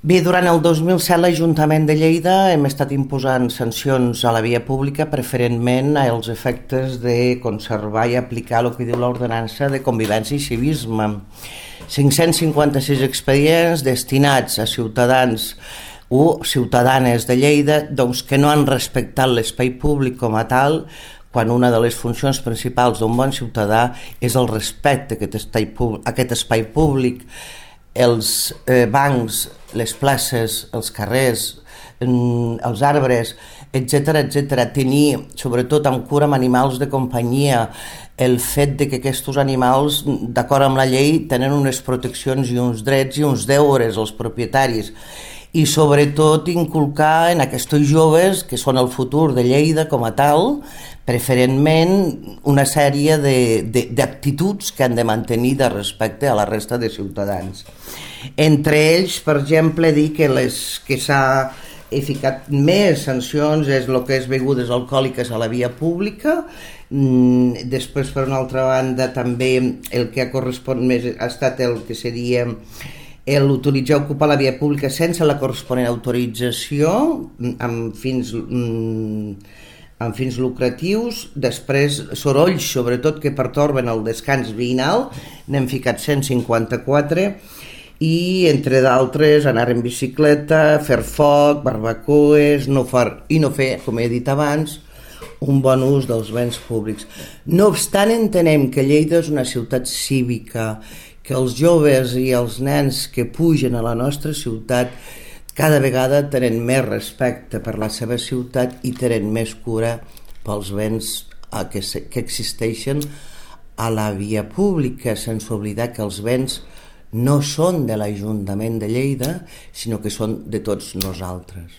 Bé, durant el 2007 l'Ajuntament de Lleida hem estat imposant sancions a la via pública preferentment als efectes de conservar i aplicar el que diu l'ordenança de convivència i civisme. 556 expedients destinats a ciutadans o ciutadanes de Lleida que no han respectat l'espai públic com a tal, quan una de les funcions principals d'un bon ciutadà és el respecte a aquest espai públic, els bancs, les places, els carrers, els arbres, etc. Tenir, sobretot amb cura amb animals de companyia, el fet de que aquests animals, d'acord amb la llei, tenen unes proteccions i uns drets i uns deures als propietaris. I sobretot inculcar en aquests joves, que són el futur de Lleida com a tal, preferentment una sèrie d'actituds que han de mantenir de respecte a la resta de ciutadans. Entre ells, per exemple, dir que les que s'ha ficat més sancions és el que és begudes alcohòliques a la via pública. Després, per una altra banda, també el que ha correspost més ha estat el que seria l'utilitzar o ocupar la via pública sense la corresponent autorització amb fins lucratius. Després, sorolls, sobretot, que pertorben el descans veïnal, n'hem ficat 154, i entre d'altres anar en bicicleta, fer foc, barbacoes, no fer, com he dit abans, un bon ús dels béns públics. No obstant, entenem que Lleida és una ciutat cívica, que els joves i els nens que pugen a la nostra ciutat cada vegada tenen més respecte per la seva ciutat i tenen més cura pels béns que existeixen a la via pública, sense oblidar que els béns no són de l'Ajuntament de Lleida, sinó que són de tots nosaltres.